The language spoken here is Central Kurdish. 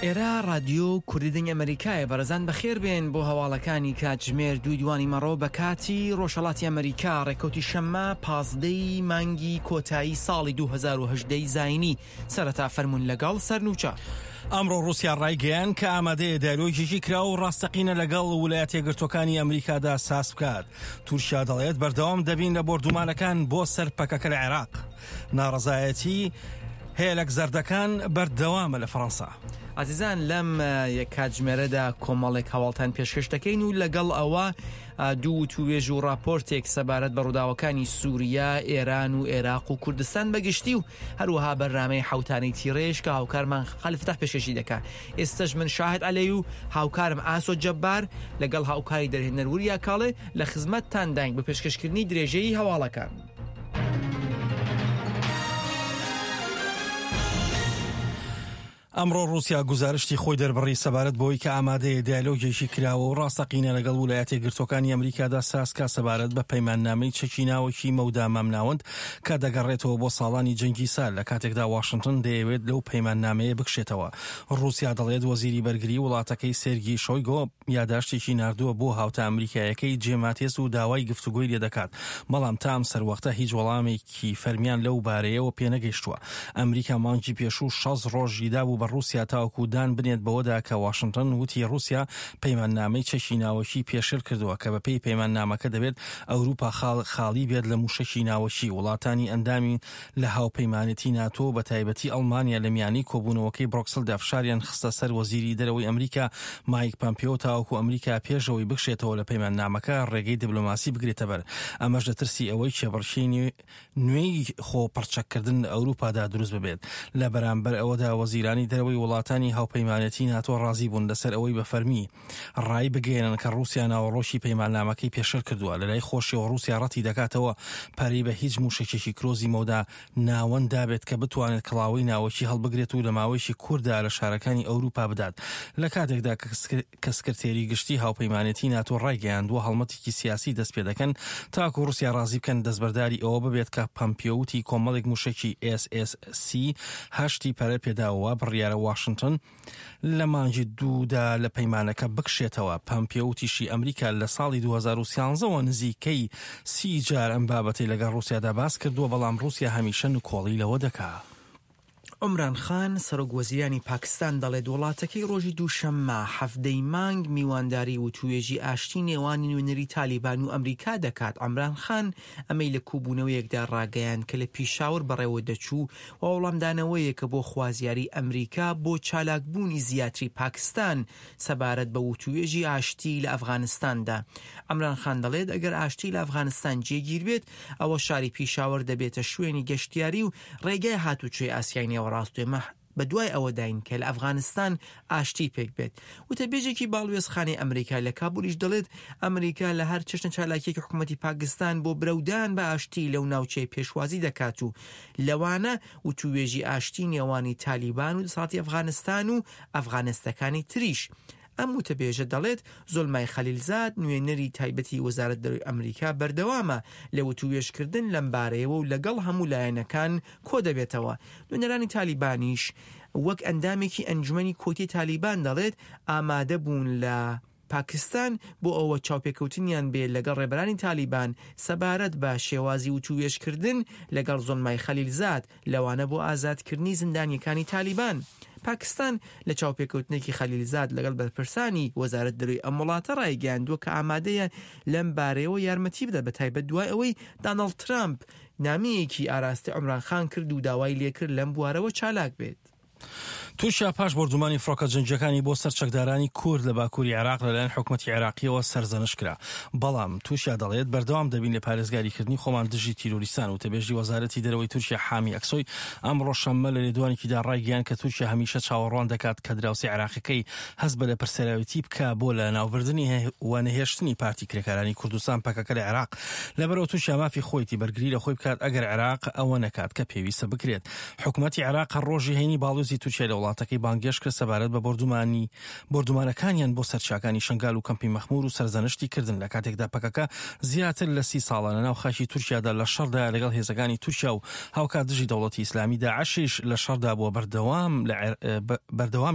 ئێرە ڕادیۆ کوردی دەنگی ئەمەریکایە بەڕێزان بەخێر بێن بۆ هەواڵەکانی کاتژمێر دووی دوانی مەڕۆ بە کاتی ڕۆژهەڵاتی ئەمەریکا ڕێکەوتی شەممە پازدەی مانگی کۆتایی ساڵی 2018 زاینی سەرەتا فەرمونون لەگەڵ سەرنوچە. ئەمڕۆ ڕووسیا ڕایگەیاند کە ئامادەیە دیالۆگێکی کراوە و ڕاستەقینە لەگەڵ ولایەتە یەکگرتووەکانی ئەمریکادا ساز بکات. تورکیا دەڵێت بەردەوام دەبین لە بۆردومانەکان بۆ سەر پەکەکە لە عێراق. ناڕەزایەتی هێلەک زەردەکان بەردەوامە لە فەڕەنسا. ئازیزان لەم یەک کاتژمێرەدا کۆمەڵێک هەواڵتان پێشکەش دەکەین و لەگەڵ ئەوە دوو وتووێژ و ڕاپۆرتێک سەبارەت بە ڕووداوەکانی سووریا، ئێران و ئێراق و کوردستان بەگشتی و هەروەها بەرنامەی حەوتانەی تیڕێژ کە هاوکارمان خەلیل فەتاح پێشکەشی دەکا. ئێستەش من شاهد عەلەی و هاوکارم ئاسۆ جەبار لەگەڵ هاوکاری دەرهێنەر وریا کاڵێ لە خزمەتتانداین بۆ پێشکەشکردنی درێژەی هەواڵەکان. ئەمڕۆ ڕووسیا گوزارشتی خۆی دەربڕی سەبارەت بەوەی کە ئامادەیە دیالۆگێکی کراوە و ڕاستەقینە لەگەڵ ولایەتە یەکگرتووەکانی ئەمریکادا سازکا سەبارەت بە پەیماننامەی چەکی ناوەکی مەودا مامناوەند کە دەگەڕێتەوە بۆ ساڵانی جەنگی سارد لە کاتێکدا واشنتن دەیەوێت لەو پەیماننامەیە بکشێتەوە. ڕووسیا دەڵێت وەزیری بەرگری وڵاتەکەی سێرگی شۆیگۆ یاداشتێکی ناردووە بۆ هاوتا ئەمریکایەکەی جێ ماتێس و داوای گفتوگۆی لێدەکات، بەڵام تا ئەم سەروەختە هیچ وەڵامێکی فەرمیان لەو بارەیەوە پێنەگەیشتووە. ئەمریکا مانگی پێشوو 60 ڕۆژی دابوو بە ڕووسیا تاوەکو دان بنێت بەوەدا کە واشنتن وتی ڕووسیا پەیماننامەی چەکی ناوەکی پێشێل کردووە کە بەپێی پەیماننامەکە دەبێت ئەوروپا خاڵی بێت لە مووشەکی ناوەکی. وڵاتانی ئەندامی لە هاوپەیمانێتی ناتۆ و بەتایبەتی ئەڵمانیا لە میانەی کۆبوونەوەکەی برۆکسلدا فشاریان خستە سەر وەزیری دەرەوەی ئەمریکا مایک پەمپیۆ تاوەکو ئەمریکا پێش ئەوەی بکشێتەوە لە پەیماننامەکە ڕێگەی دبلۆماسی بگرێتەبەر ئەمەش لە ترسی ئەوەی کێبڕکێی نوێی خۆ پڕچەککردن لە ئەوروپادا دروست ببێت. لە بەرامبەر ئەوەدا وەزیرانی دەرەوەی وڵاتانی هاوپەیمانێتی ناتۆ ڕازی بوون لەسەر ئەوەی بە فەرمی ڕای بگەیەنن کە ڕووسیا ناوەڕۆکی پەیماننامەکەی پێشێل کردووە. لەلای خۆشیەوە ڕووسیا ڕەتی دەکاتەوە پەرەی بە هیچ مووشەکێکی کرۆزی مەودا ناوەند دابێت کە بتوانێت کڵاوەی ناوەکی هەڵبگرێت و لە ماوەیەکی کورتدا لە شارەکانی ئەوروپا بدات لە کاتێکدا کە سکرتێری گشتی هاوپەیمانێتی ناتۆ ڕایگەیاندووە هەڵمەتێکی سیاسی دەست پێدەکەن تاکو ڕووسیا ڕازی بکەن دەستبەرداری ئەوە ببێت کە پەمپیۆ وتی کۆمەڵێک مووشەکی ئێس ئێس سی هەشتی پەرە پێداوە وا بڕیارە واشنتن لە مانگی دوودا لە پەیمانەکە بکشێتەوە. پەمپیۆ وتیشی ئەمریکا لە ساڵی 2013 وە نزیکەی سی جار ئەم بابەتەی لەگەڵ ڕووسیادا باس کردووە، بەڵام ڕووسیا هەمیشە نکۆڵی لەوە دەکا. عومران خان، سەرۆک وەزیرانی پاکستان دەڵێت وڵاتەکەی ڕۆژی دووشەممە حەڤدە ی مانگ میوانداری وتووێژی ئاشتی نێوان نوێنەری تالیبان و ئەمریکا دەکات. عەمران خان ئەمەی لە کوبوونەوەیەکدا ڕاگەیاند کە لە پیشاور بەڕێوە دەچوو و وەڵامدانەوەیەکە بۆ خوازیاری ئەمریکا بۆ چالاکبوونی زیاتری پاکستان سەبارەت بە وتووێژی ئاشتی لە ئەفغانستاندا. عەمران خان دەڵێت ئەگەر ئاشتی لە ئەفغانستان جێگیر بێت ئەوە شاری پیشاوەر دەبێتە شوێنی گەشتیاری و ڕێگای هاتوچۆی ئاسیای نێوەڕاست و ئێمە بەدوای ئەوەداین کە لە ئەفغانستان ئاشتی پێک بێت. وتەبێژێکی باڵوێزخانەی ئەمریکا لە کابولیش دەڵێت، ئەمریکا لە هەر چەشنە چالاکییەکی حکومەتی پاکستان بۆ برەودان بە ئاشتی لەو ناوچەیە پێشوازی دەکات و لەوانە وتووێژی ئاشتی نێوانی تالیبان و دەسەڵاتی ئەفغانستان و ئەفغانستەکانی تریش. ئەم وتەبێژە دەڵێت، زۆلمای خەلیلزاد، نوێنەری تایبەتی وەزارەت دەرەوەی ئەمریکا بەردەوامە لە وتووێژکردن لەمبارەیەوە و لەگەڵ هەموو لایەنەکان کۆدەبێتەوە. نوێنەرانی تالیبانیش وەک ئەندامێکی ئەنجومەنی کۆیتەی تالیبان دەڵێت، ئامادەبوون لە پاکستان بۆ ئەوە چاوپێکەوتنیان بێ لەگەڵ ڕێبەرانی تالیبان سەبارەت بە شێوازی وتووێژکردن لەگەڵ زۆلمای خەلیلزاد، لەوانە بۆ ئازادکردنی زیندانییەکانی تالیبان. پاکستان لە چاوپێکەوتنێکی خەلیلزاد لەگەڵ بەرپرسانی وەزارەت دەرەوەی ئەم وڵاتە ڕایگەیاندووە کە ئامادەیە لەم بارەیەوە یارمەتی بدات بەتایبەت دوای ئەوەی داناڵد ترامپ نامەیەکی ئاراستەی عومران خان کرد و داوای لێکرد لەم بوارەوە چالاک بێت. تورکیا پاش بۆردومانی فڕۆکە جەنگییەکانی بۆ سەر چەکدارانی کورد لە باکووری عێراق لەلایەن حکومەتی عێراقییەوە سەرزەنشت کرا. بەڵام تورکیا دەڵێت بەردەوام دەبین لە پارێزگاریکردنی خۆمان دژی تیرۆریستان. وتەبێژی وەزارەتی دەرەوەی تورکیا حامی ئەکسۆی ئەمڕۆ شەممە لە لێدوانێکیدا ڕایگەیاند کە تورکیا هەمیشە چاوەڕوان دەکات کە دراوسێ عێراقیەکەی هەست بە لێپرسراوێتی بکا بۆ لەناوبردنی و نەهێشتنی پارتی کرێکارانی کوردستان پەکەکە لە عێراق. لەبەرئەوە تورکیا مافی خۆیتی بەرگری لە خۆی بکات ئەگەر عێراق ئەوە نەکات کە پێویستە بکرێت. حکومەتی عێراق هەر ڕۆژی هەینی باڵیۆزی تورکیای لە وڵاتەکەی بانگهێشت کرد سەبارەت بە بۆردومانی بۆردومانەکانیان بۆ سەر چیاکانی شنگال و کەمپی مەخمور و سەرزەنشتی کردن لە کاتێکدا پەکەکە زیاتر لە سی ساڵە لەناو خاکی تورکیادا لە شەڕدایە لەگەڵ هێزەکانی تورکیا و هاوکات دژی دەوڵەتی ئیسلامی داعشیش لە شەڕدا بووە بەردەوام لە بەردەوام.